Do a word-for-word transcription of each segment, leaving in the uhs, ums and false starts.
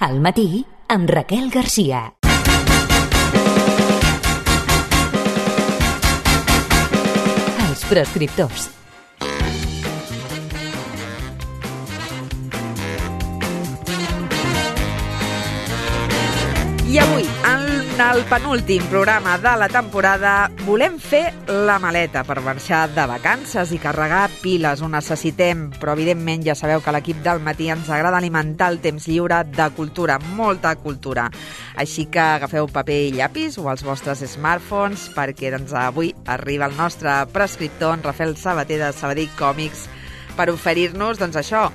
Al matí, amb Raquel Garcia. Els prescriptors. I avui, en el penúltim programa de la temporada, volem fer la maleta per marxar de vacances i carregar piles. Ho necessitem, però evidentment ja sabeu que a l'equip del matí ens agrada alimentar el temps lliure de cultura, molta cultura. Així que agafeu paper i llapis o els vostres smartphones, perquè doncs, avui arriba el nostre prescriptor, en Rafael Sabater de Sabadell Còmics, per oferir-nos doncs, això,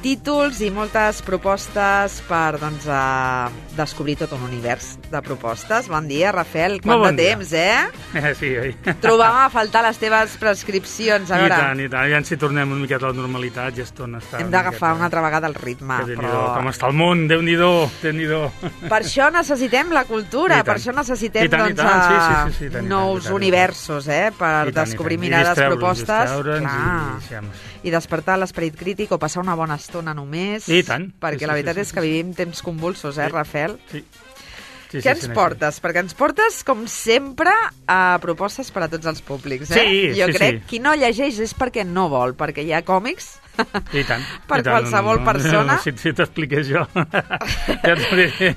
títols i moltes propostes per doncs, a descobrir tot un univers de propostes. Bon dia, Rafael. Quant bon de temps, dia. eh? eh? Sí, oi. Trobàvem a faltar les teves prescripcions. A veure, I tant, i tant. Ja ens hi tornem una miqueta a la normalitat, ja estona està. Hem d'agafar una altra vegada el ritme. Que però... Com està el món, Déu-n'hi-do, Déu-n'hi-do. Per això necessitem la cultura, per això necessitem I tant, doncs, i tant. Sí, sí, sí, sí, tant, nous i tant, universos, eh? Per I tant, descobrir i tant. mirades, I propostes. I, I, i despertar l'esperit crític o passar una bona estona només. I tant. Perquè sí, la veritat sí, sí, és que vivim temps convulsos, eh, sí. Rafael? Sí. Sí, Què sí, ens sí, portes? Sí. Perquè ens portes, com sempre, a propostes per a tots els públics, eh? Sí, jo sí, crec sí. qui no llegeix és perquè no vol, perquè hi ha còmics I tant, per i tant, qualsevol no, no, persona. No, si si t'expliqués jo. Ja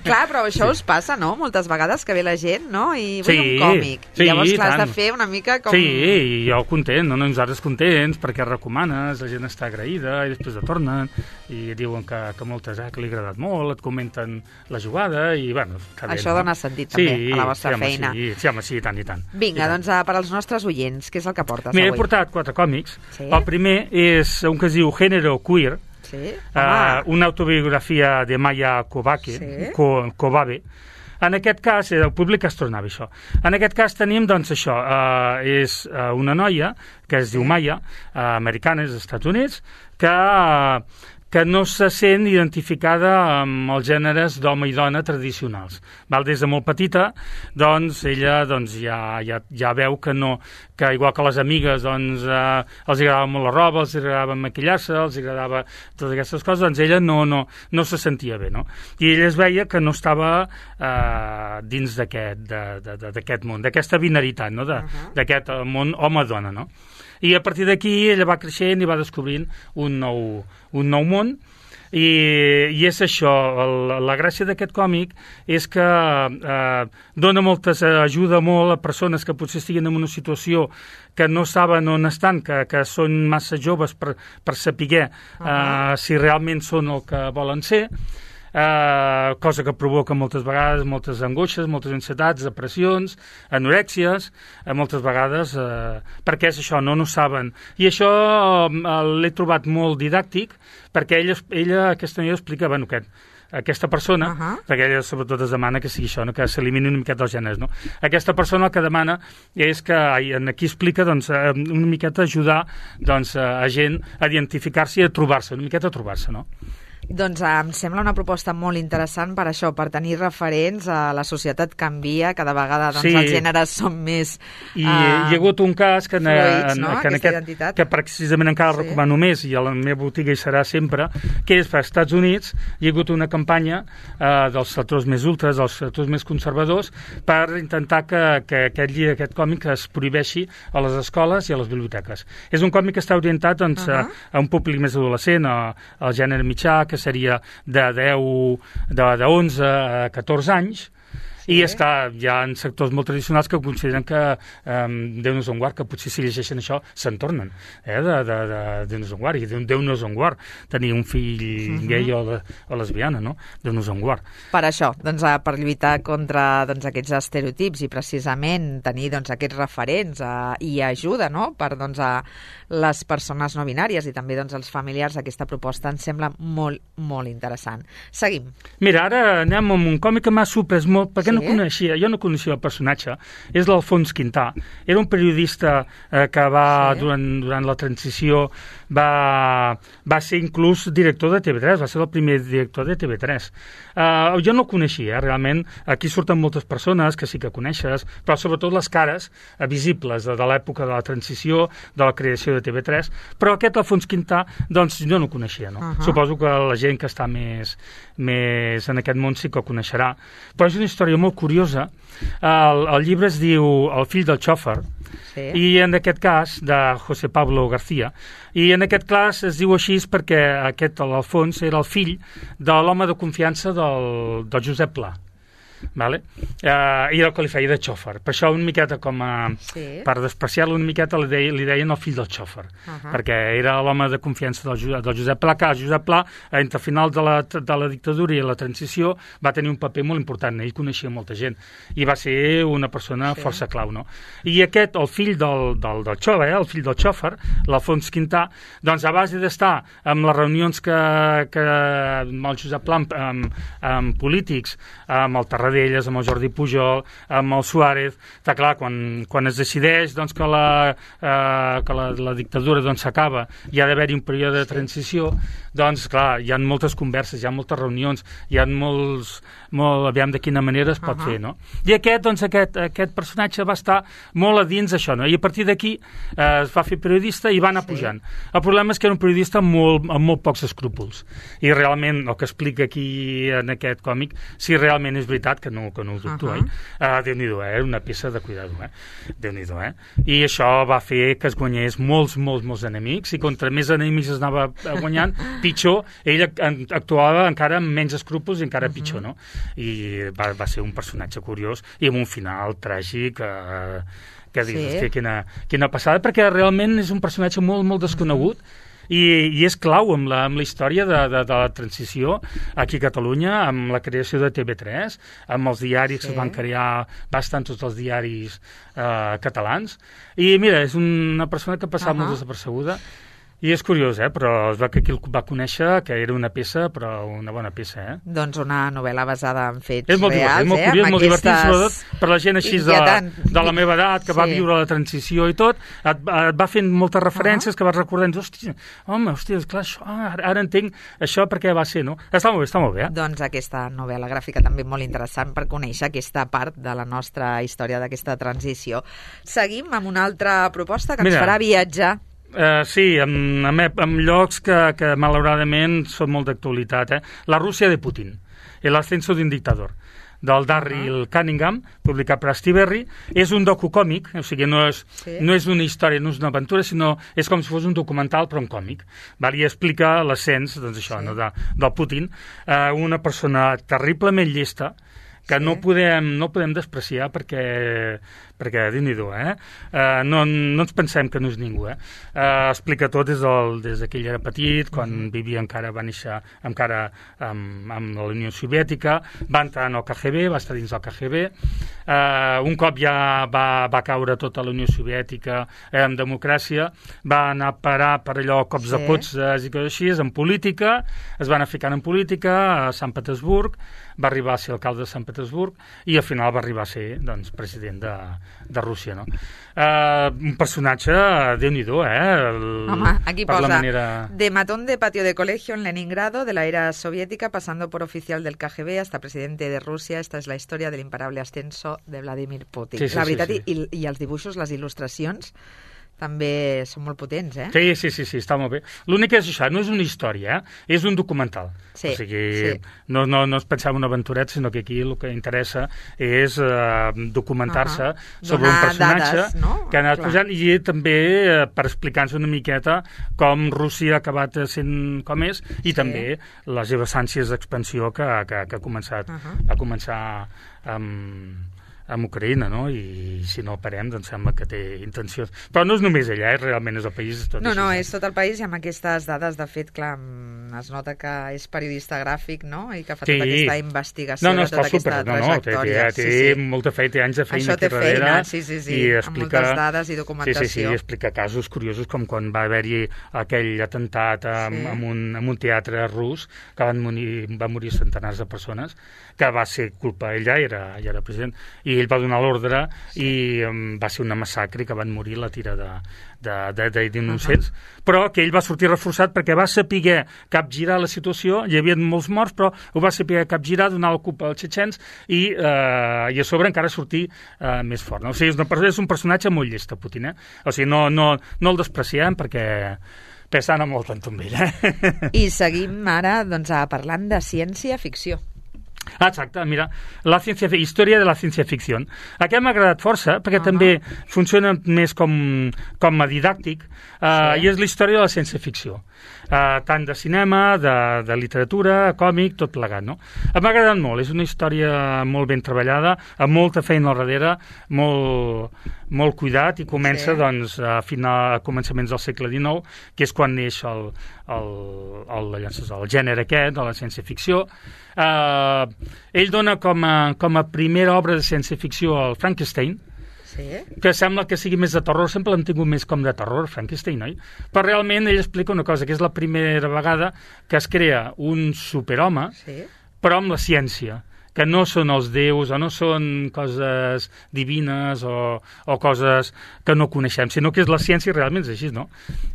clar, però això sí. us passa, no? Moltes vegades que ve la gent, no? I vull sí, un còmic. Sí, I llavors, clar, has tant. de fer una mica com... Sí, i jo content, no? Nosaltres contents, perquè recomanes, la gent està agraïda, i després et tornen, i diuen que, que moltes, eh, que li ha agradat molt, et comenten la jugada, i bueno... Bé, això no? dona sentit, també, sí, a la vostra sí, home, feina. Sí, sí, home, sí, i tant, i tant. Vinga, i tant. doncs, per als nostres oients, què és el que portes Mira, avui? he portat quatre còmics. Sí? El primer és un que es diu Género Queer, sí? uh, una autobiografia de Maya Kobabe, sí? Ko, Kobabe. En aquest cas, el públic es tornava això. En aquest cas tenim, doncs, això, uh, és uh, una noia que es diu Maya, uh, americana, dels Estats Units, que... Uh, que no se sent identificada amb els gèneres d'home i dona tradicionals. Val? Des de molt petita, doncs, ella doncs, ja, ja, ja veu que no, que igual que les amigues, doncs, eh, els agradava molt la roba, els agradava maquillar-se, els agradava totes aquestes coses, doncs ella no, no, no se sentia bé, no? I ella es veia que no estava eh, dins d'aquest món, d'aquesta binaritat, no? D'aquest uh -huh. món home-dona, no? I a partir d'aquí ella va creixent i va descobrint un nou, un nou món i, i és això, el, la gràcia d'aquest còmic és que eh, dona moltes, ajuda molt a persones que potser estiguin en una situació que no saben on estan, que, que són massa joves per, per saber uh -huh. eh, si realment són el que volen ser. Uh, cosa que provoca moltes vegades moltes angoixes, moltes ansietats, depressions, anorèxies, uh, moltes vegades, uh, perquè és això, no no saben. I això uh, l'he trobat molt didàctic, perquè ella, ella aquesta noia explica, bueno, que aquesta persona, uh -huh. perquè ella sobretot es demana que sigui això, no? Que s'elimini una miqueta els gèneres, no? Aquesta persona el que demana és que, aquí explica, doncs, una miqueta ajudar doncs, a gent a identificar-se i a trobar-se, una miqueta a trobar-se, no? Doncs em sembla una proposta molt interessant per això, per tenir referents a la societat canvia, cada vegada doncs, sí. els gèneres són més I uh, hi ha hagut un cas que, fluids, en, no? que, en aquest, que precisament encara el sí. recomano més i a la meva botiga hi serà sempre, que és per als Estats Units. Hi ha hagut una campanya uh, dels sectors més ultres, dels sectors més conservadors, per intentar que, que aquest llibre, aquest còmic es prohibeixi a les escoles i a les biblioteques. És un còmic que està orientat doncs, uh -huh. a, a un públic més adolescent, a, al gènere mitjà, que seria de deu, de, de onze a catorze anys, sí. I és clar, hi ha sectors molt tradicionals que consideren que eh, Déu-nos en guard, que potser si llegeixen això se'n tornen, eh, de, de, de Déu-nos en guard, i Déu-nos en guard tenir un fill uh-huh. gay o, le, o lesbiana, no? Déu-nos en guard. Per això, doncs, per lluitar contra doncs, aquests estereotips i precisament tenir doncs, aquests referents eh, i ajuda, no?, per doncs, a les persones no binàries i també doncs, els familiars, aquesta proposta ens sembla molt, molt interessant. Seguim. Mira, ara anem amb un còmic que m'ha sorprès molt, perquè sí? no coneixia, jo no coneixia el personatge, és l'Alfons Quintà. Era un periodista eh, que va, sí. durant, durant la transició, va, va ser inclús director de T V tres, va ser el primer director de T V tres. Uh, jo no el coneixia, eh, realment. Aquí surten moltes persones que sí que coneixes, però sobretot les cares eh, visibles de, de l'època de la transició, de la creació de T V tres, però aquest Alfons Quintà, doncs jo no el coneixia, no? Uh -huh. Suposo que la gent que està més, més en aquest món sí que el coneixerà. Però és una història molt curiosa. El, el llibre es diu El fill del xòfer, sí. I en aquest cas, de José Pablo García, i en aquest cas es diu així perquè aquest, l'Alfons, era el fill de l'home de confiança del, del Josep Pla. Vale? Uh, i el que li feia de xòfer. Per això una miqueta com a... Sí. Per despreciar-lo una miqueta li, deia, li deien el fill del xòfer, uh -huh. perquè era l'home de confiança del, del Josep Pla, que el Josep Pla, entre final de la, de la dictadura i la transició, va tenir un paper molt important. Ell coneixia molta gent i va ser una persona sí. força clau, no? I aquest, el fill del, del, del xòfer, eh, el fill del xòfer, l'Alfons Quintà, doncs a base d'estar amb les reunions que, que amb el Josep Pla, amb, amb, amb polítics, amb el Tarragona d'elles, amb el Jordi Pujol, amb el Suárez, està clar, quan, quan es decideix doncs, que, la, eh, que la, la dictadura doncs, s'acaba i ha d'haver-hi un període de transició, doncs clar, hi ha moltes converses, hi ha moltes reunions, hi ha molts, molt, aviam de quina manera es pot uh -huh. fer, no? I aquest, doncs, aquest, aquest personatge va estar molt a dins això, no? I a partir d'aquí eh, es va fer periodista i va anar sí. pujant. El problema és que era un periodista molt, amb molt pocs escrúpols, i realment el que explica aquí en aquest còmic, si realment és veritat, que no, que no ho dubto, uh -huh. eh? Uh, Déu-n'hi-do, eh? Una peça de cuidado, eh? Déu-n'hi-do, eh? I això va fer que es guanyés molts, molts, molts enemics, i contra més enemics es anava guanyant, pitjor, ell actuava encara amb menys escrúpols i encara uh -huh. pitjor, no? I va, va ser un personatge curiós i amb un final tràgic, eh, que dius, sí. quina, quina passada, perquè realment és un personatge molt, molt desconegut, I, i és clau amb la, amb la història de, de, de la transició aquí a Catalunya, amb la creació de T V tres, amb els diaris sí. que es van crear bastant tots els diaris eh, catalans, i mira, és una persona que ha passat uh -huh. molt desapercebuda. I és curiós, eh? Però es va que aquí el va conèixer, que era una peça, però una bona peça, eh? Doncs una novel·la basada en fets és molt reals, divertit, és molt eh? curiós, Amb molt aquestes... divertit, sobretot per la gent així de, de la meva edat, que sí. va viure la transició i tot, et, et va fent moltes referències uh -huh. que vas recordant, hòstia, home, hòstia, esclar, això, ara, ara entenc això perquè va ser, no? Està molt bé, està molt bé, eh? Doncs aquesta novel·la gràfica també molt interessant per conèixer aquesta part de la nostra història d'aquesta transició. Seguim amb una altra proposta que Mira. ens farà viatjar. Uh, sí, amb, amb, amb llocs que, que malauradament són molt d'actualitat. Eh? La Rússia de Putin, El ascenso d'un dictador, del Darryl uh-huh. Cunningham, publicat per Astiberri. És un docukòmic, o sigui, no és, sí. no és una història, no és una aventura, sinó és com si fos un documental, però un còmic. Val? I explica l'ascens, doncs això, sí. no, de, del Putin, uh, una persona terriblement llesta, que sí. no podem, no podem despreciar perquè, perquè Déu-n'hi-do, eh? Uh, no, no ens pensem que no és ningú, eh? Uh, explica tot des, del, des que ell era petit, quan mm. vivia encara, va néixer encara amb, amb la Unió Soviètica, va entrar en el K G B, va estar dins del K G B, uh, un cop ja va, va caure tota la Unió Soviètica eh, en democràcia, va anar a parar per allò cops sí. de potses i coses així, en política, es va anar ficant en política a Sant Petersburg, va arribar a ser alcalde de Sant Petersburg i al final va arribar a ser doncs, president de, de Rússia, no? Uh, un personatge, Déu-n'hi-do, eh? El, Home, aquí posa, manera... de matón de patio de colegio en Leningrado, de la era soviética, pasando por oficial del K G B hasta presidente de Rússia, esta és la història de l'imparable ascenso de Vladimir Putin. Sí, sí, la veritat, sí, sí. I, i els dibuixos, les il·lustracions, també són molt potents, eh? Sí, sí, sí, sí, està molt bé. L'únic és això, no és una història, eh? És un documental. Sí, o sigui, sí. no, no, no es pensava en una aventureta, sinó que aquí el que interessa és uh, documentar-se uh -huh. sobre Donar un personatge dades, no? que ha anat Clar. posant, i també uh, per explicar-nos una miqueta com Rússia ha acabat sent com és, i sí. també les seves ànsies d'expansió que, que, que ha començat, uh -huh. a començar amb... amb Ucraïna, no? I si no parem, doncs sembla que té intencions. Però no és només ella, eh? Realment és el país. Tot no, així, no, és tot el país, i amb aquestes dades, de fet, clar, es nota que és periodista gràfic, no? I que fa sí. tota aquesta investigació no, no, de tota aquesta super, trajectòria. No, no, té, té, té sí, sí. molta feina, té anys de feina Això té aquí darrere. Feina, sí, sí, sí, i explica, amb moltes dades i documentació. Sí, sí, sí, explica casos curiosos, com quan va haver-hi aquell atemptat amb, sí. amb, un, amb un teatre rus, que van morir, van morir centenars de persones, que va ser culpa, ell ja era, ja era president, i ell va donar l'ordre, sí. i um, va ser una massacre, que van morir la tira de, de, de, d'innocents, uh-huh. però que ell va sortir reforçat perquè va saber capgirar la situació, hi havia molts morts, però ho va saber capgirar, donar la culpa als txetxens, i, eh, i a sobre encara sortir eh, més fort. No? O sigui, és, una, és un personatge molt llest, Putin, eh? O sigui, no, no, no el despreciem perquè pesant molt tant amb ell. Eh? I seguim ara doncs, parlant de ciència-ficció. Ah, exacte, mira, la ciència, història de la ciència-ficció. Aquest m'ha agradat força, perquè uh-huh. també funciona més com, com a didàctic, uh, sí. i és la història de la ciència-ficció. Uh, tant de cinema, de, de literatura, còmic, tot plegat, no? M'ha agradat molt, és una història molt ben treballada, amb molta feina al darrere, molt, molt cuidat, i comença, sí. doncs, a, final, a començaments del segle dinou, que és quan neix el, el, el, el, el gènere aquest, de la ciència-ficció. Uh, ell dona com a, com a primera obra de ciència-ficció el Frankenstein, sí. que sembla que sigui més de terror, sempre l'hem tingut més com de terror, Frankenstein, oi? Però realment ell explica una cosa, que és la primera vegada que es crea un superhome, sí. però amb la ciència, que no són els déus, o no són coses divines, o, o coses que no coneixem, sinó que és la ciència, realment és així, no?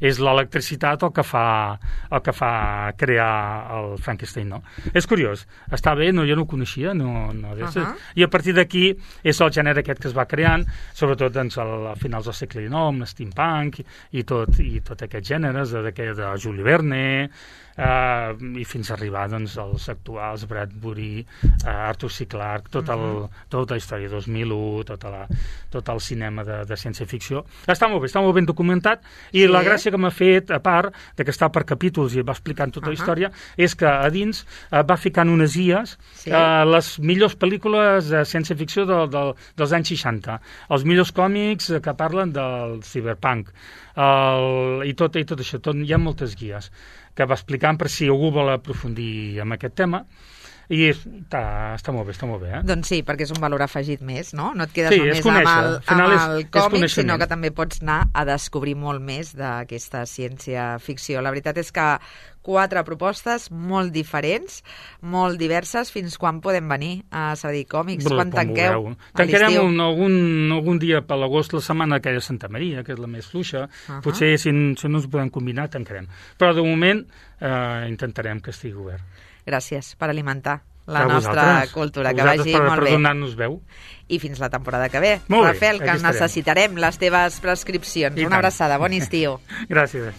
És l'electricitat el que fa, el que fa crear el Frankenstein, no? És curiós, està bé, no, jo no ho coneixia, no, no, uh-huh. i a partir d'aquí és el gènere aquest que es va creant, sobretot doncs, al, a finals del segle dinou, amb l'steampunk, i, i, tot, i tot aquests gèneres, de, de, de Jules Verne, Uh, i fins a arribar doncs, als actuals, Bradbury, uh, Arthur C. Clarke, tot el, uh-huh. tota la història dos mil u, tota la, tot el cinema de, de ciència-ficció. Està molt bé, està molt ben documentat, i sí. la gràcia que m'ha fet, a part de que està per capítols i va explicant tota uh-huh. la història, és que a dins uh, va ficant unes guies, sí. uh, les millors pel·lícules de ciència-ficció de, de, dels anys seixanta, els millors còmics que parlen del cyberpunk, el, i, tot, i tot això, tot, hi ha moltes guies que va explicant per si algú vol aprofundir en aquest tema, i està, està molt bé, està molt bé, eh? Doncs sí, perquè és un valor afegit més, no? No et quedes sí, només conèixer, amb el, amb és, el còmic, sinó que també pots anar a descobrir molt més d'aquesta ciència-ficció. La veritat és que quatre propostes molt diferents, molt diverses. Fins quan podem venir a Sabadell Còmics? Però, quan tanqueu? Tancarem un, algun, algun dia per l'agost, la setmana aquella de Santa Maria, que és la més fluixa. Uh-huh. Potser, si, si no ens podem combinar, tancarem. Però, de moment, eh, intentarem que estigui obert. Gràcies per alimentar la a nostra cultura. Que vagi per, molt per bé. donar-nos veu. I fins la temporada que ve. Molt Rafael, bé, que necessitarem les teves prescripcions. Una abraçada, bon estiu. Gràcies.